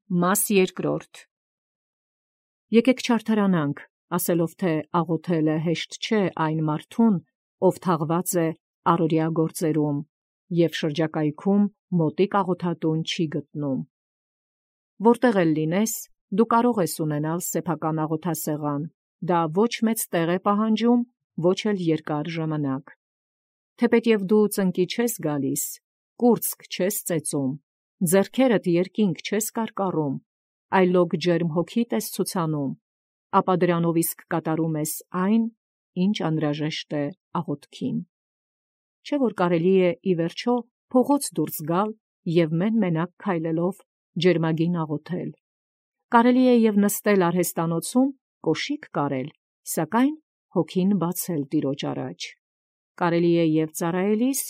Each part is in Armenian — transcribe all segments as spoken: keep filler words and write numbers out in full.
Մաս երկրորդ. Եկեք չարթարանանք, ասելով թե աղոթելը հեշտ չէ այն մարդուն, ով թաղված է առօրյա գործերում և շրջակայքում մոտիկ աղոթատուն չի գտնում։ Որտեղ էլ լինես, դու կարող ես ունենալ սեփական աղոթասեղան, դա ոչ մեծ տեղ է պահանջում, ոչ էլ երկար ժամանակ։ Թեպետև դու ծնկի չես գալիս, կուրծք չես ծեծում, ձեռքերդ երկինք չես կարկառում, այլոք ջերմ հոգիդ ես ցուցանում, ապա դրանով իսկ կատարում ես այն, ինչ անհրաժեշտ է աղոթքին։ Չէ՞ որ կարելի է ի վերջո փողոց դուրս գալ և մեն-մենակ քայլելով ջերմագին աղոթել։ Կարելի է և նստել արհեստանոցում կոշիկ կարել, սակայն հոգին բացել Տիրոջ առաջ։ Կարելի է և ծառայելիս,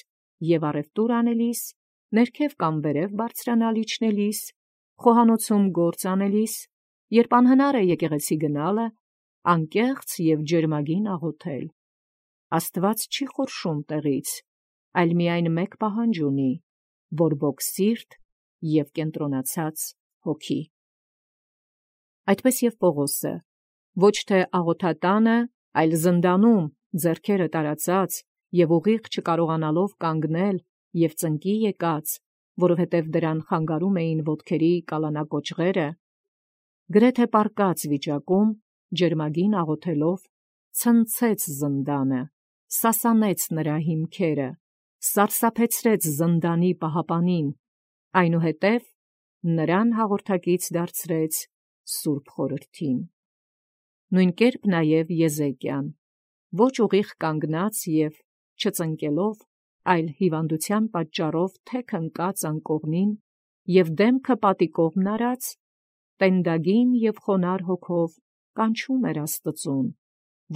և առևտուր անելիս, ներքև կամ վերև բարձրանալ իջնելիս, խոհանոցում գործ անելիս, երբ անհնար է եկեղեցի գնալը, անկեղծ և ջերմագին աղոթել։ Աստված չի խորշում տեղից, այլ միայն մեկ պահանջ ունի՝ բորբոք սիրտ և կենտրոնացած հոգի։ Այդպես և Պողոսը ոչ թե աղոթատանը, այլ զնդանում ձեռքերը տարածած և ուղիղ չկարողանալով կանգնել և ծնկի եկած, որովհետև դրան խանգարում էին ոտքերի կալանակոճղերը, գրեթե պառկած վիճակում ջերմագին աղոթելով ցնցեց զնդանը, սասանեց նրա հիմքերը, սարսափեցրեց զնդանի պահապանին, այնուհետև նրան հաղորդակից դարձրեց Սուրբ Խորհրդին։ Նույն կերպ նաև Եզեկիան, ոչ ուղիղ կանգնած և չծնկելով, այլ հիվանդության պատճառով թեք ընկած անկողնին և դեմքը պատի կողմն արած, տենդագին և խոնարհ հոգով կանչում էր Աստծուն,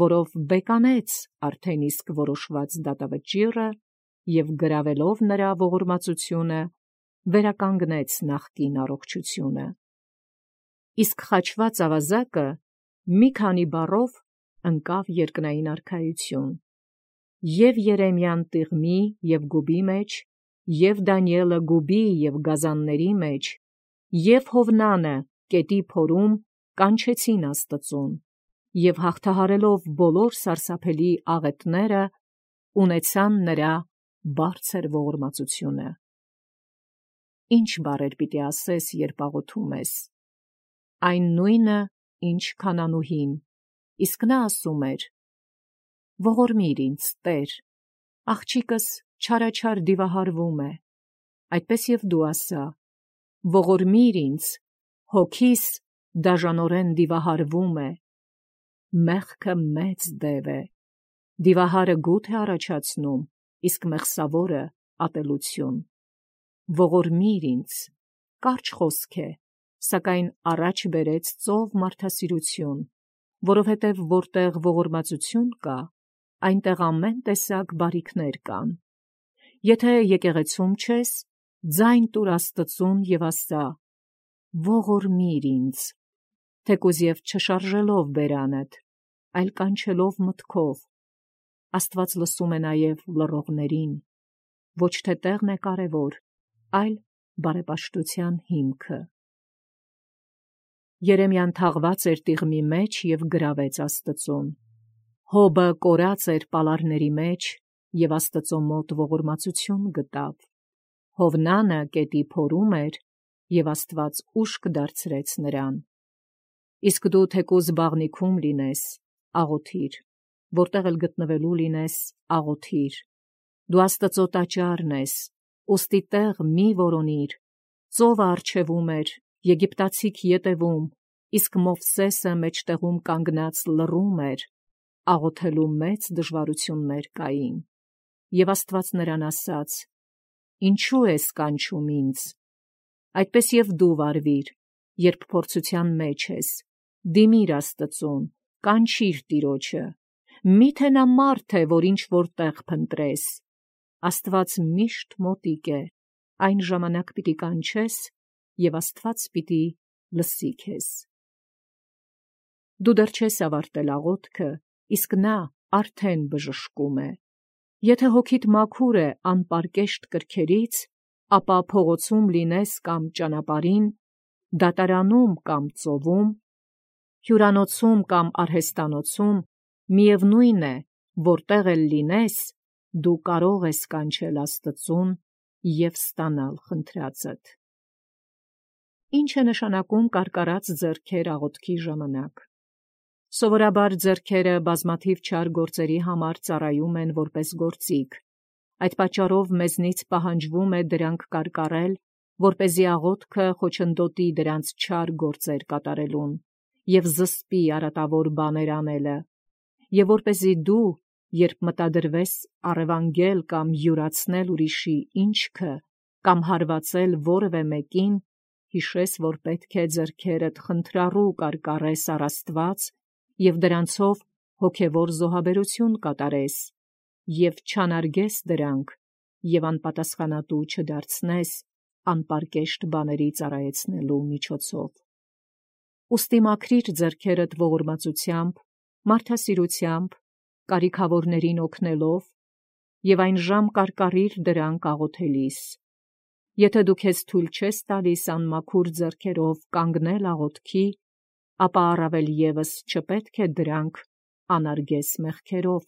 որով բեկանեց արդեն իսկ որոշված դատավճիռը և գրավելով նրա ողորմածությունը, վերականգնեց նախկին առողջությունը։ Իսկ խաչված ավազակը մի քանի բառով ընկավ երկնային արքայություն։ Եւ Երեմիան տիղմի և գուբի մեջ, և Դանիէլը գուբի և գազանների մեջ, և Հովնանը կետի փորում կանչեցին Աստծուն, և հաղթահարելով բոլոր սարսափելի աղետները, ունեցան նրա բարձր ողորմածությունը։ Ի՞նչ բառեր պիտի ասես, երբ աղոթում ես։ Այն նույնը, ինչ քանանուհին, իսկ նա ասում էր. «Ողորմիր ինձ, Տեր, աղջիկս չարաչար դիվահարվում է», այդպես և դու ասա. «Ողորմիր ինձ, հոգիս դաժանորեն դիվահարվում է»։ Մեղքը մեծ դև է, դիվահարը գութ է առաջացնում, իսկ մեղսավորը ատելություն։ Ողորմիր ինձ, կարճ խոսք է, սակայն առաջ բերեց ծով մարդասիրություն, որովհետև որտեղ ողորմածություն կա, այնտեղ ամեն տեսակ բարիքներ կան։ Եթե եկեղեցում չես, ձայն տուր Աստծուն և ասա. «Ողորմիր ինձ», թեկուզ և չշարժելով բերանդ, այլ կանչելով մտքով։ Աստված լսում է նաև լռողներին, ոչ թե տեղն է կարևոր, այլ բարեպաշտության հիմքը։ Երեմիան թաղված էր տիղմի մեջ և գրավեց Աստծուն։ Հոբը կորած էր պալարների մեջ և Աստծո մոտ ողորմածություն գտավ։ Հովնանը կետի փորում էր, և Աստված ուշք դարձրեց նրան։ Իսկ դու թեկուզ բաղնիքում լինես, աղոթիր, որտեղ էլ գտնվելու լինես, աղոթիր։ Դու Աստծո տաճարն ես, ուստի տեղ մի որոնիր։ Ծովը առջևում էր, եգիպտացիք ետևում, իսկ Մովսեսը մեջտեղում կանգնած լռում էր, աղոթելու մեծ դժվարություններ կային։ Եվ Աստված նրան ասաց. «Ինչու ես կանչում ինձ»։ Այդպես և դու վարվիր, երբ փորձության մեջ ես, դիմիր Աստծուն, կանչիր Տիրոջը։ Մի՞թե նա մարդ է, որ ինչ-որ տեղ փնտրես։ Աստված միշտ մոտիկ է, այն ժամանակ պիտի կանչես, և Աստված պիտի լսի քեզ։ Դու դեռ չես ավարտել աղոթքը, իսկ նա արդեն բժշկում է։ Եթե հոգիդ մաքուր է անպարկեշտ կրքերից, ապա փողոցում լինես կամ ճանապարհին, դատարանում կամ ծովում, հյուրանոցում կամ արհեստանոցում, միևնույն է, որտեղ էլ լինես, դու կարող ես կանչել Աստծուն և ստանալ խնդրածդ։ Ինչ է նշանակում կարկառած ձեռքեր աղոթքի ժամանակ։ Սովորաբար ձեռքերը բազմաթիվ չար գործերի համար ծառայում են որպես գործիք։ Այդ պատճառով մեզնից պահանջվում է դրանք կարկառել, որպեսզի աղոթքը խոչընդոտի դրանց չար գործեր կատարելուն և զսպի արատավոր բաներ անելը, և որպեսզի դու, երբ մտադրվես առևանգել կամ յուրացնել ուրիշի ինչքը կամ հարվածել որևէ մեկին, հիշես, որ պետք է ձեռքերդ խնդրառու կարկառես առ Աստված և դրանցով հոգևոր զոհաբերություն կատարես, և չանարգես դրանք և անպատասխանատու չդարձնես անպարկեշտ բաների ծառայեցնելու միջոցով։ Ուստի մաքրիր ձեռքերդ ողորմածությամբ, մարդասիրությամբ, կարիքավորներին օգնելով և այն ժամ կարկառիր դրանք աղոթելիս։ Եթե դու քեզ թույլ չես տալիս անմաքուր ձեռքերով կանգնել աղոթքի, ապա առավել ևս չպետք է դրանք անարգես մեղքերով։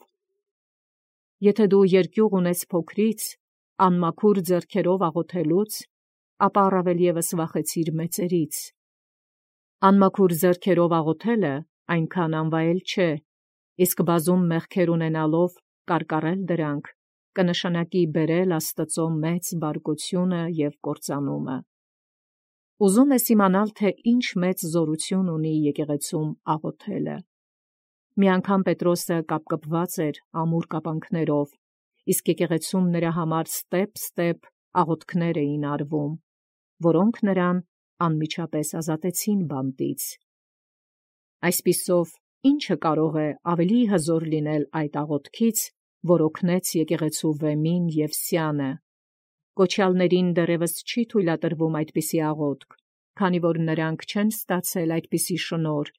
Եթե դու երկյուղ ունես փոքրից, անմաքուր ձեռքերով աղոթելուց, ապա առավել ևս վախեցիր մեծերից։ Անմաքուր ձեռքերով աղոթելը այնքան անվայել չէ, իսկ բազում մեղքեր ունենալով կարկառել դրանք կնշանակի բերել Աստծո մեծ բարկությունը և կործանումը։ Ուզում ես իմանալ, թե ինչ մեծ զորություն ունի եկեղեցում աղոթելը։ Մի անգամ Պետրոսը կապկպված էր ամուր կապանքներով, իսկ եկեղեցում նրա համար ստեպ-ստեպ աղոթքներ էին արվում, որոնք նրան անմիջապես ազատեցին բանտից։ Այսպիսով, ի՞նչը կարող է ավելի հզոր լինել այդ աղոթքից, որ օգնեց եկեղեցու վեմին և սյանը։ Կոչյալներին դեռևս չի թույլատրվում այդպիսի աղոթք, քանի որ նրանք չեն ստացել այդպիսի շնորհ,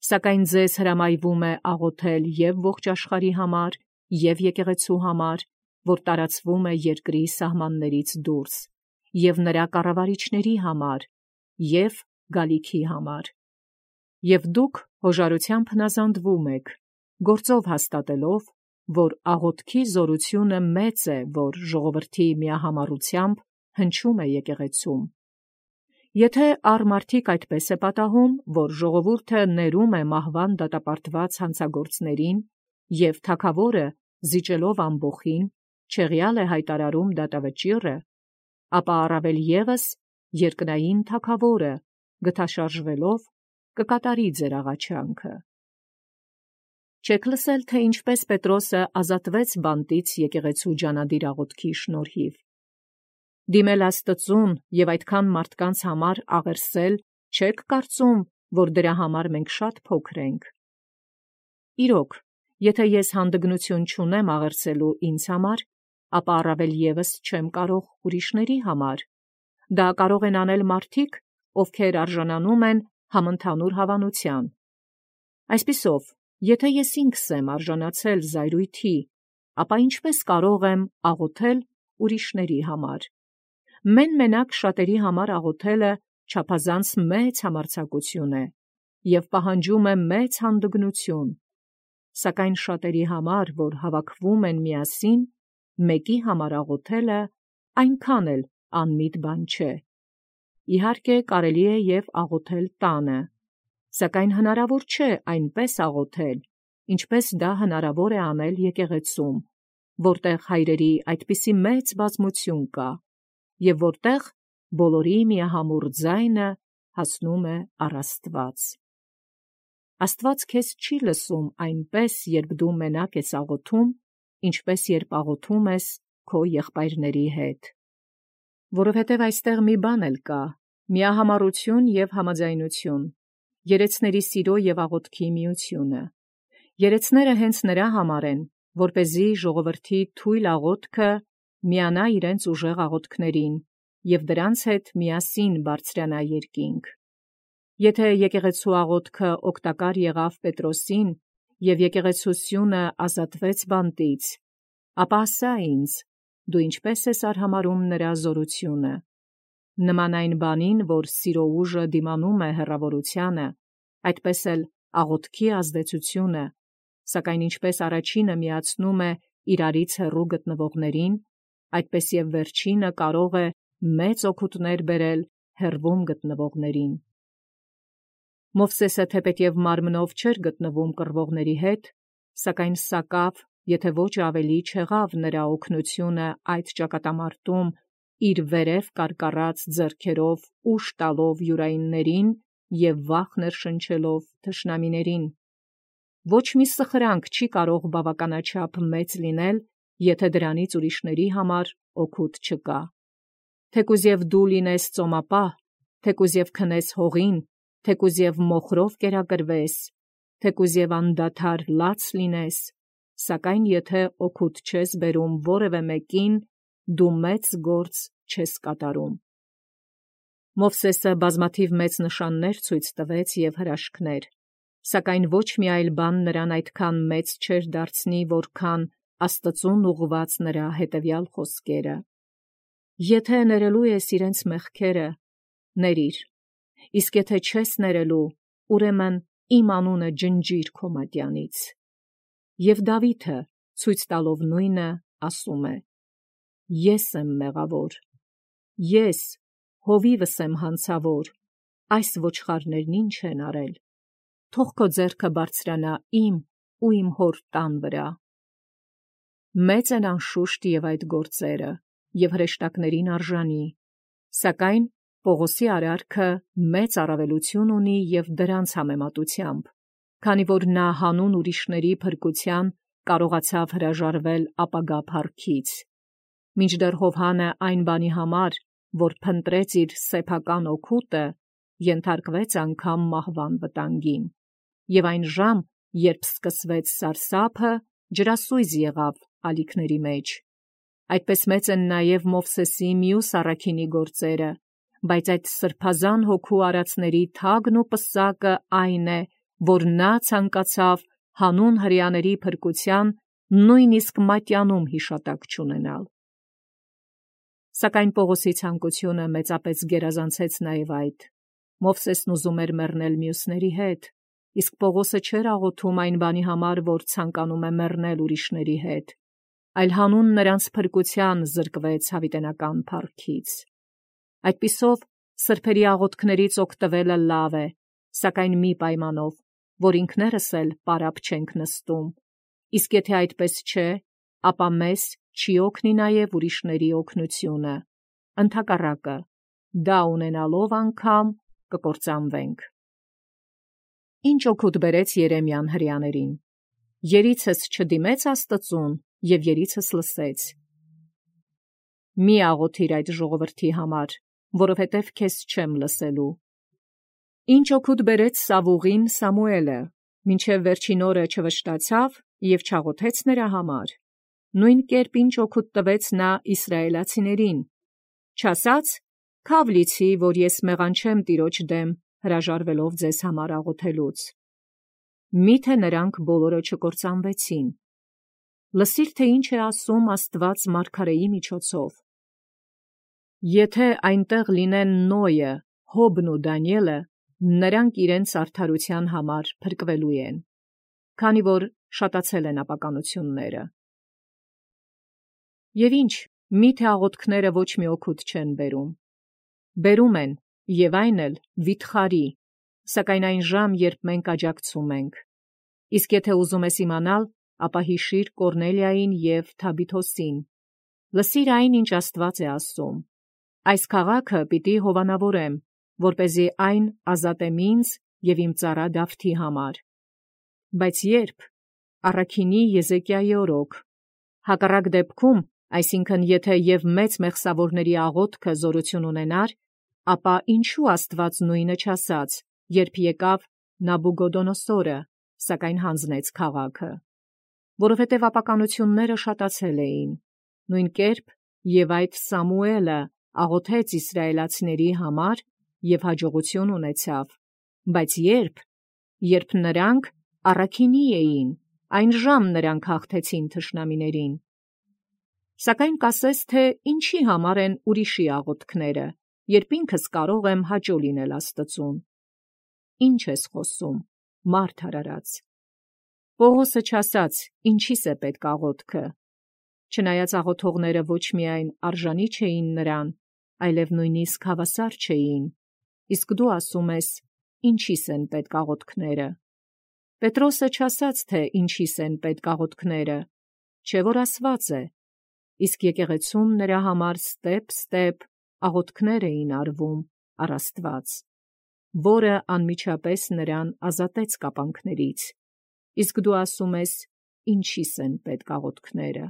սակայն ձեզ հրամայվում է աղոթել և ողջ աշխարհի համար, և եկեղեցու համար, որ տարածվում է երկրի սահմաններից դուրս, և նրա կառավարիչների համար, և գալիքի համար։ Եվ դուք հոժարությամբ հնազանդվում եք, գործով հաստատելով, որ աղոթքի զորությունը մեծ է, որ ժողովրդի միահամառությամբ հնչում է եկեղեցում։ Եթե առ մարդիկ այդպես է պատահում, որ ժողովուրդը ներում է մահվան դատապարտված հանցագործներին, և թագավորը, զիջելով ամբոխին, չեղյալ է հայտարարում դատավճիռը, ապա առավել ևս երկնային թագավորը, գթաշարժվելով, կկատարի ձեր աղաչանքը։ Չեք լսել, թե ինչպես Պետրոսը ազատվեց բանտից եկեղեցու ջանադիր աղոթքի շնորհիվ։ Դիմել Աստծուն և այդքան մարդկանց համար աղերսել, չե՞ք կարծում, որ դրա համար մենք շատ փոքր ենք։ Իրոք, եթե ես հանդգնություն չունեմ աղերսելու ինձ համար, ապա առավել ևս չեմ կարող ուրիշների համար։ Դա կարող են անել մարդիկ, ովքեր արժանանում են համընդհանուր հավանության։ Այսպիսով, եթե ես ինքս եմ արժանացել զայրույթի, ապա ինչպես կարող եմ աղոթել ուրիշների համար։ Մեն-մենակ շատերի համար աղոթելը չափազանց մեծ համարձակություն է և պահանջում է մեծ հանդգնություն, սակայն շատերի համար, որ հավաքվում են միասին, մեկի համար աղոթելը այնքան էլ անմիտ բան չէ։ Իհարկե, կարելի է և աղոթել տանը, սակայն հնարավոր չէ այնպես աղոթել, ինչպես դա հնարավոր է անել եկեղեցում, որտեղ հայրերի այդպիսի մեծ բազմություն կա, և որտեղ բոլորի միահամուռ ձայնը հասնում է առ Աստված։ Աստված քեզ չի լսում այնպես, երբ դու մենակ ես աղոթում, ինչպես երբ աղոթում ես քո եղբայրների հետ։ Որովհետև այստեղ մի բան էլ կա՝ միահամառություն և համաձայնություն, երեցների սիրո և աղոթքի միությունը։ Երեցները հենց նրա համար են, որպեսզի ժողովրդի թույլ աղոթքը միանա իրենց ուժեղ աղոթքներին և դրանց հետ միասին բարձրանա երկինք։ Եթե եկեղեցու աղոթքը օգտակար եղավ Պետրոսին և եկեղեցու սյունը ազատվեց բանտից, ապա ասա ինձ, դու ինչպե՞ս ես արհամարհում նրա զորությունը։ նման այն բանին, որ սիրո ուժը դիմանում է հեռավորությանը, այդպես էլ աղոթքի ազդեցությունը, սակայն ինչպես առաջինը միացնում է իրարից հեռու գտնվողներին, այդպես և վերջինը կարող է մեծ օգուտներ բերել հեռվում գտնվողներին։ Մովսեսը թեպետև մարմնով չէր գտնվում կռվողների հետ, սակայն սակավ, եթե ոչ ավելի չեղավ նրա օգնությունը այդ ճակատամարտում իր վերև կարկառած ձեռքերով ուժ տալով յուրայիններին և վախ ներշնչելով թշնամիներին։ Ոչ մի սխրանք չի կարող բավականաչափ մեծ լինել, եթե դրանից ուրիշների համար օգուտ չկա։ Թեկուզ և դու լինես ծոմապահ, թեկուզ և քնես հողին, թեկուզ և մոխրով կերակրվես, թեկուզ և անդադար լաց լինես, սակայն եթե օգուտ չես բերում որևէ մեկին, դու մեծ գործ չես կատարում։ Մովսեսը բազմաթիվ մեծ նշաններ ցույց տվեց և հրաշքներ, սակայն ոչ մի այլ բան նրան այդքան մեծ չէր դարձնի, որքան Աստծուն ուղղված նրա հետևյալ խոսքերը. «Եթե ներելու ես իրենց մեղքերը, ների՛ր, իսկ եթե չես ներելու, ուրեմն իմ անունը ջնջիր քո մատյանից»։ Եւ Դավիթը, ցույց տալով նույնը, ասում է. «Ես եմ մեղավոր, ես, հովիվս եմ հանցավոր, այս ոչխարներն ի՞նչ են արել, թող քո ձեռքը բարձրանա իմ ու իմ հոր տան վրա»։ Մեծ են անշուշտ և այդ գործերը, և հրեշտակներին արժանի, սակայն Պողոսի արարքը մեծ առավելություն ունի և դրանց համեմատությամբ, քանի որ նա հանուն ուրիշների փրկության կարողացավ հրաժարվել ապագա փառքից, մինչդեռ Յովհանը այն բանի համար, որ փնտրեց իր սեփական օգուտը, ենթարկվեց անգամ մահվան վտանգին, և այն ժամ, երբ սկսվեց սարսափը, ջրասույզ եղավ ալիքների մեջ։ Այդպես մեծ են նաև Մովսեսի մյուս առաքինի գործերը, բայց այդ սրբազան հոգու արածների թագն ու պսակը այն է, որ նա ցանկացավ հանուն հրեաների փրկության նույնիսկ մատյանում հիշատակ չունենալ։ Սակայն Պողոսի ցանկությունը մեծապես գերազանցեց նաև այդ։ Մովսեսն ուզում էր մեռնել մյուսների հետ, իսկ Պողոսը չէր աղոթում այն բանի համար, որ ցանկանում է մեռնել ուրիշների հետ, այլ հանուն նրանց փրկության զրկվեց հավիտենական փառքից։ Այդպիսով սրբերի աղոթքներից օգտվելը լավ է, սակայն մի պայմանով, որ ինքներս էլ պարապ չենք նստում, իսկ եթե այդպես չէ, ապա մեզ չի օգնի նաև ուրիշների օգնությունը, ընդհակառակը, դա ունենալով անգամ կկործանվենք։ Ինչ օգուտ բերեց Երեմիան հրեաներին։ Երիցս չդիմեց Աստծուն և երիցս լսեց։ Մի աղոթիր այդ ժողովրդի համար, որովհետև քեզ չեմ լսելու։ Ինչ օգուտ բերեց Սավուղին Սամուելը, մինչև վերջին օրը չվշտացավ և չաղոթեց նրա համար։ Նույն կերպ ինչ օգուտ տվեց նա իսրայելացիներին, չասաց. «Քավ լիցի, որ ես մեղանչեմ Տիրոջ դեմ, հրաժարվելով ձեզ համար աղոթելուց»։ Միթե նրանք բոլորը չկործանվեցին։ Լսիր, թե ինչ է ասում Աստված մարգարեի միջոցով. «Եթե այնտեղ լինեն Նոյը, Հոբն ու Դանիէլը, նրանք իրենց արդարության համար փրկվելու են, քանի որ շատացել են ապականությունները»։ Եվ ինչ, միթե աղոթքները ոչ մի օգուտ չեն բերում։ Բերում են, և այն էլ վիթխարի, սակայն այն ժամ, երբ մենք աջակցում ենք։ Իսկ եթե ուզում ես իմանալ, ապա հիշիր Կորնելիային և Թաբիթոսին։ Լսիր այն, ինչ Աստված է ասում. «Այս քաղաքը պիտի հովանավորեմ, որպեսզի այն ազատեմ ինձ և իմ ծառա Դավթի համար»։ Բայց երբ առաքինի Եզեկիայի օրոք, հակառակ դեպքում, այսինքն եթե և մեծ մեղսավորների աղոթքը զորություն ունենար, ապա ինչու Աստված նույնը չասաց, երբ եկավ Նաբուգոդոնոսորը, սակայն հանձնեց քաղաքը։ Որովհետև ապականությունները շատացել էին։ Նույն կերպ և այդ Սամուելը աղոթեց իսրայելացիների համար և հաջողություն ունեցավ, բայց երբ, երբ նրանք առաքինի էին, այն ժամ նրանք հաղթեցին թշնամիներին։ Սակայն կասես, թե ինչի համար են ուրիշի աղոթքները, երբ ինքս կարող եմ հաճո լինել Աստծուն։ Ինչ ես խոսում, մարդ արարած։ Պողոսը չասաց, ինչիս է պետք աղոթքը։ Չնայած աղոթողները ոչ միայն արժանի չէին նրան, այլև նույնիսկ հավասար չէին, իսկ դու ասում ես, ինչիս են պետք աղոթքները։ Պետրոսը չասաց, թե ինչիս են պետք աղոթքները, չէ որ ասված է, իսկ եկեղեցում նրա համար ստեպ-ստեպ աղոթքներ էին արվում առ Աստված, որը անմիջապես նրան ազատեց կապանքներից, իսկ դու ասում ես, ինչիս են պետք աղոթքները։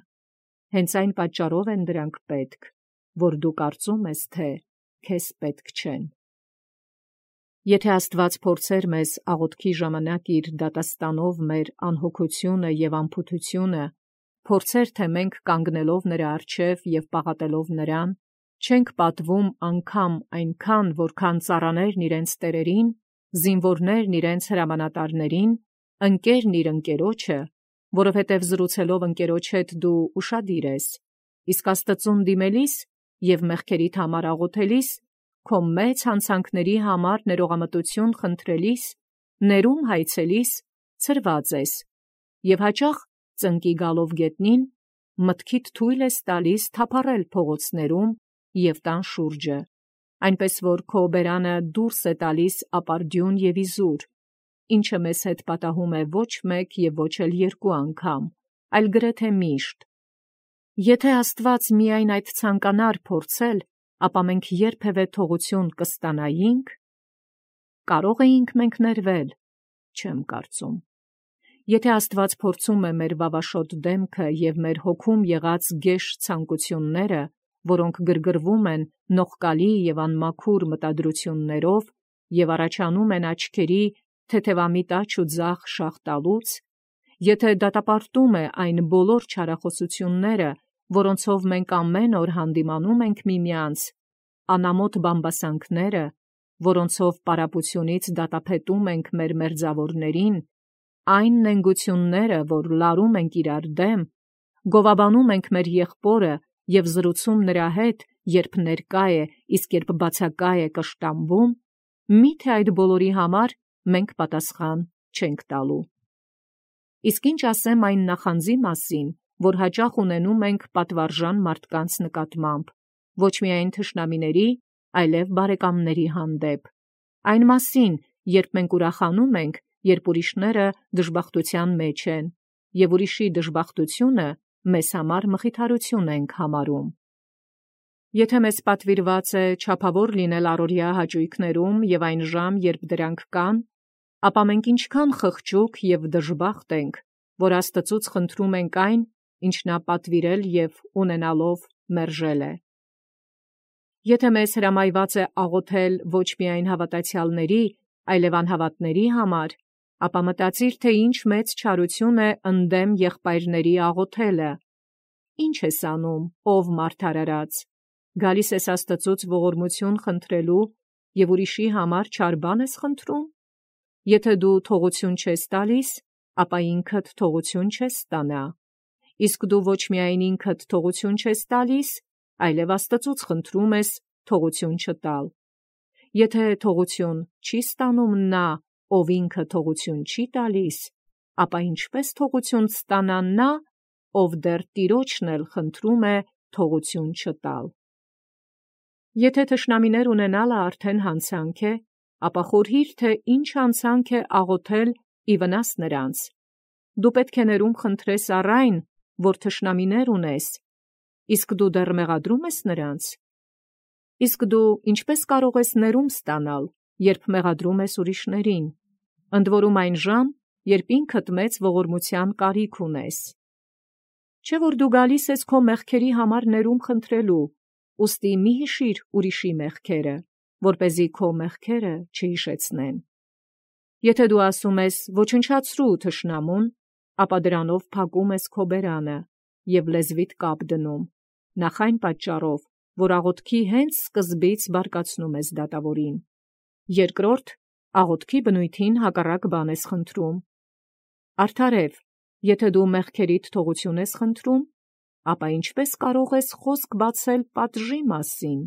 Հենց այն պատճառով են դրանք պետք, որ դու կարծում ես, թե քեզ պետք չեն։ Եթե Աստված փորձեր մեզ աղոթքի ժամանակ իր դատաստանով մեր անհոգությունը եւ անփութությունը, փորձեր, թե մենք կանգնելով նրա առջև եւ պաղատելով նրան, չենք պատվում անգամ այնքան, որքան ծառաներն իրենց տերերին, զինվորներն իրենց հրամանատարներին, ընկերն իր ընկերոջը, որովհետև զրուցելով ընկերոջ հետ դու ուշադիր ես, իսկ Աստծուն դիմելիս եւ մեղքերիդ համար աղոթելիս, քո մեծ հանցանքների համար ներողամտություն խնդրելիս, ներում հայցելիս, ցրված ես, եւ հաճախ ծնկի գալով գետնին, մտքիդ թույլ ես տալիս թափառել փողոցներում եւ տան շուրջը, այնպես որ քո բերանը դուրս է տալիս ապարդյուն եւ իզուր, ինչը մեզ հետ պատահում է ոչ մեկ եւ ոչ էլ երկու անգամ, այլ գրեթե միշտ։ Եթե Աստված միայն այդ ցանկանար փորձել, ապա մենք երբևէ թողություն կստանայինք, կարող էինք մենք ներվել, չեմ կարծում։ Եթե Աստված փորձում է մեր վավաշոտ դեմքը եւ մեր հոգում եղած գեշ ցանկությունները, որոնք գրգռվում են նողկալի եւ անմաքուր մտադրություններով եւ առաջանում են աչքերի թեթևամիտ աջ ու ձախ շաղ տալուց, եթե դատապարտում է այն բոլոր չարախոսությունները, որոնցով մենք ամեն օր հանդիմանում ենք միմյանց, անամոթ բամբասանքները, որոնցով պարապությունից դատապետում ենք մեր մերձավորներին, այն նենգությունները, որ լարում ենք իրար դեմ, գովաբանում ենք մեր եղբորը եւ զրուցում նրա հետ, երբ ներկա է, իսկ երբ բացակա է կշտամբում, միթե այդ բոլորի համար մենք պատասխան չենք տալու։ Իսկ ինչ ասեմ այն նախանձի մասին, որ հաճախ ունենում ենք պատվարժան մարդկանց նկատմամբ, ոչ միայն թշնամիների, այլև բարեկամների հանդեպ, այն մասին, երբ մենք ուրախանում ենք, երբ ուրիշները դժբախտության մեջ են, եւ ուրիշի դժբախտությունը մեզ համար մխիթարություն ենք համարում։ Եթե մեզ պատվիրված է չափավոր լինել առօրյա հաճույքներում եւ այն ժամ, երբ դրանք կան, ապա մենք ինչքան խղճուկ եւ դժբախտ ենք, որ Աստծուց խնդրում ենք այն, ինչ նա պատվիրել եւ ունենալով մերժել է։ Եթե մեզ հրամայված է աղոթել ոչ միայն հավատացյալների, այլև անհավատների համար, ապա մտածիր, թե ինչ մեծ չարություն է ընդդեմ եղբայրների աղոթելը։ Ինչ ես անում, ով մարդ արարած, գալիս ես Աստծուց ողորմություն խնդրելու եւ ուրիշի համար չար բան ես խնդրում։ Եթե դու թողություն չես տալիս, ապա ինքդ թողություն չես ստանա, իսկ դու ոչ միայն ինքդ թողություն չես տալիս, այլև Աստծուց խնդրում ես թողություն չտալ։ Եթե թողություն չի ստանում նա, ով ինքը թողություն չի տալիս, ապա ինչպես թողություն ստանա նա, ով դեռ Տիրոջն էլ խնդրում է թողություն չտալ։ Եթե թշնամիներ ունենալը արդեն հանցանք է, ապա խորհիր, թե ինչ հանցանք է աղոթել ի վնաս նրանց։ Դու պետք է ներում խնդրես առ այն, որ թշնամիներ ունես, իսկ դու դեռ մեղադրում ես նրանց։ Իսկ դու ինչպես կարող ես ներում ստանալ, երբ մեղադրում ես ուրիշներին, ընդ որում այն ժամ, երբ ինքդ մեծ ողորմության կարիք ունես։ Չէ՞ որ դու գալիս ես քո մեղքերի համար ներում խնդրելու, ուստի մի հիշիր ուրիշի մեղքերը, որպեսզի քո մեղքերը չհիշեցնեն։ Եթե դու ասում ես ոչնչացրու թշնամուն, ապա դրանով փակում ես քո բերանը եւ լեզվիդ կապ դնում, նախ այն պատճառով, որ աղոթքի հենց սկզբից բարկացնում ես դատավորին։ Երկրորդ, աղոթքի բնույթին հակառակ բան ես խնդրում։ Արդարև, եթե դու մեղքերիդ թողություն ես խնդրում, ապա ինչպես կարող ես խոսք բացել պատժի մասին։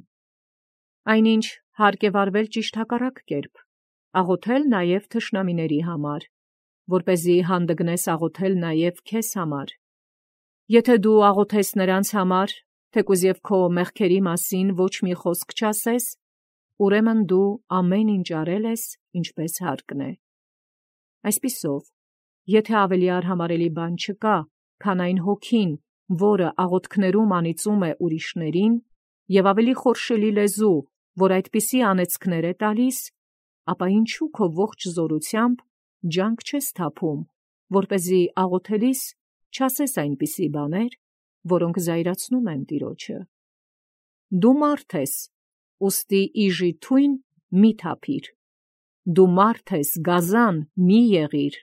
Այնինչ հարկ է վարվել ճիշտ հակառակ կերպ, աղոթել նաև թշնամիների համար, որպեսզի հանդգնես աղոթել նաև քեզ համար։ Եթե դու աղոթես նրանց համար, թեկուզ և քո մեղքերի մասին ոչ մի խոսք չասես, ուրեմն դու ամեն ինչ արել ես, ինչպես հարկն է։ Այսպիսով, եթե ավելի արհամարելի բան չկա, քան այն հոգին, որը աղոթքներում անիծում է ուրիշներին, և ավելի խորշելի լեզու, որ այդպիսի անեծքներ է տալիս, ապա ինչու քո ողջ զորությամբ ջանք չես թափում, որպեսզի աղոթելիս չասես այնպիսի բաներ, որոնք զայրացնում են Տիրոջը։ Դու մարդ ես, ուստի իժի թույն մի թափիր, դու մարդ ես, գազան մի եղիր։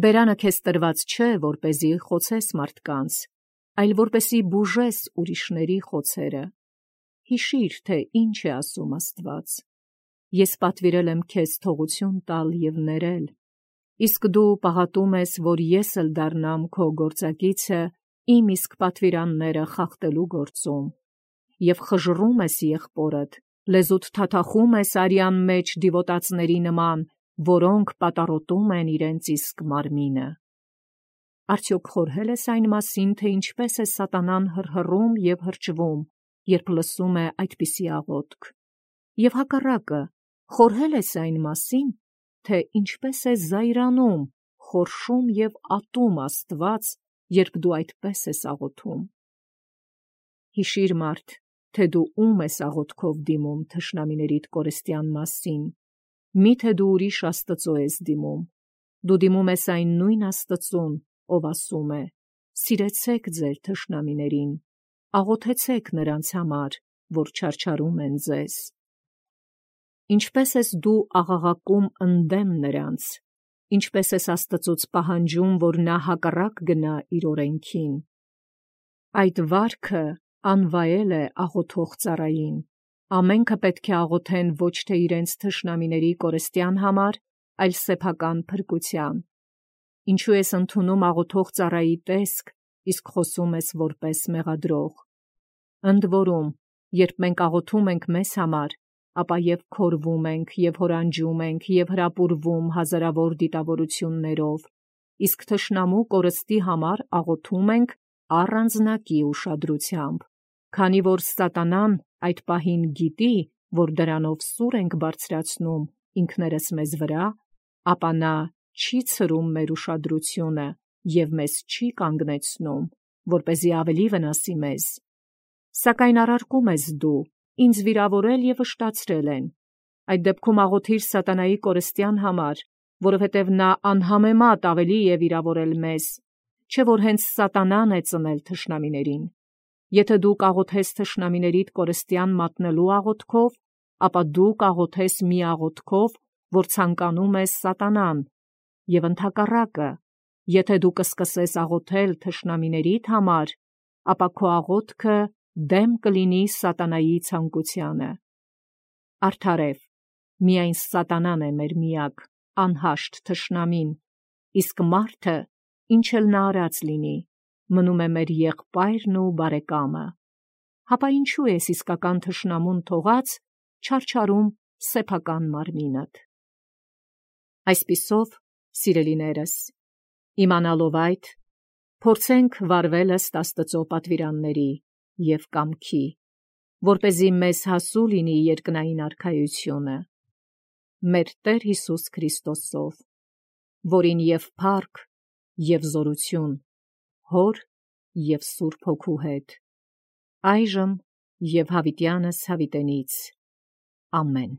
Բերանը քեզ տրված չէ, որպեսզի խոցես մարդկանց, այլ որպեսզի բուժես ուրիշների խոցերը։ Հիշիր, թե ինչ է ասում Աստված. ես պատվիրել եմ քեզ թողություն տալ և ներել, իսկ դու պաղատում ես, որ ես էլ դառնամ քո գործակիցը իմ իսկ պատվիրանները խախտելու գործում, և խժռում ես եղբորդ, լեզուդ թաթախում ես արյան մեջ դիվոտածների նման, որոնք պատառոտում են իրենց իսկ մարմինը։ Արդյոք խորհել ես այն մասին, թե ինչպես է սատանան հռհռում և հրճվում, երբ լսում է այդպիսի աղոթք, և հակառակը, խորհել ես այն մասին, թե ինչպես է զայրանում, խորշում և ատում Աստված, երբ դու այդպես ես աղոթում։ Հիշիր, մարդ, թե դու ում ես աղոթքով դիմում թշնամիներիդ կորստյան մասին, միթե դու ուրիշ Աստծո ես դիմում, դու դիմում ես այն նույն Աստծուն, ով ասում է. «Սիրեցեք ձեր թշնամիներին, աղոթեցեք նրանց համար, որ չարչարում են ձեզ»։ Ինչպես ես դու աղաղակում ընդդեմ նրանց, ինչպես ես Աստծուց պահանջում, որ նա հակառակ գնա իր օրենքին։ Այդ վարքը անվայել է աղոթող ծառային, ամենքը պետք է աղոթեն ոչ թե իրենց թշնամիների կորստյան համար, այլ սեփական փրկության։ Ինչու ես ընդունում աղոթող ծառայի տեսք, իսկ խոսում ես որպես մեղադրող։ Ընդ որում, երբ մենք աղոթում ենք մեզ համար, ապա և քորվում ենք, և հորանջում ենք, և հրապուրվում հազարավոր դիտավորություններով, իսկ թշնամու կորստի համար աղոթում ենք առանձնակի ուշադրությամբ, քանի որ սատանան այդ պահին գիտի, որ դրանով սուր ենք բարձրացնում ինքներս մեզ վրա, ապա նա չի ցրում մեր ուշադրությունը և մեզ չի կանգնեցնում, որպեսզի ավելի վնասի մեզ։ Սակայն առարկում ես դու, ինձ վիրավորել և վշտացրել են։ Այդ դեպքում աղոթիր սատանայի կորստյան համար, որովհետև նա անհամեմատ ավելի է վիրավորել մեզ, չէ՞ որ հենց սատանան է ծնել թշնամիներին։ Եթե դու կաղոթես թշնամիներիդ կորստյան մատնելու աղոթքով, ապա դու կաղոթես մի աղոթքով, որ ցանկանում է սատանան, և ընդհակառակը, եթե դու կսկսես աղոթել թշնամիներիդ համար, ապա քո աղոթքը դեմ կլինի սատանայի ցանկությանը։ Արդարև, միայն սատանան է մեր միակ անհաշտ թշնամին, իսկ մարդը, ինչ էլ նա արած լինի, մնում է մեր եղբայրն ու բարեկամը։ Հապա ինչու ես իսկական թշնամուն թողած չարչարում սեփական մարմինդ։ Այսպիսով, սիրելիներս, իմանալով այդ, փորձենք վարվել ըստ Աստծո պատվիրանների և կամքի, որպեսզի մեզ հասու լինի երկնային արքայությունը մեր Տեր Հիսուս Քրիստոսով, որին և փառք, և զորություն Հոր և Սուրբ Հոգու հետ, այժմ և հավիտյանս հավիտենից։ Ամեն։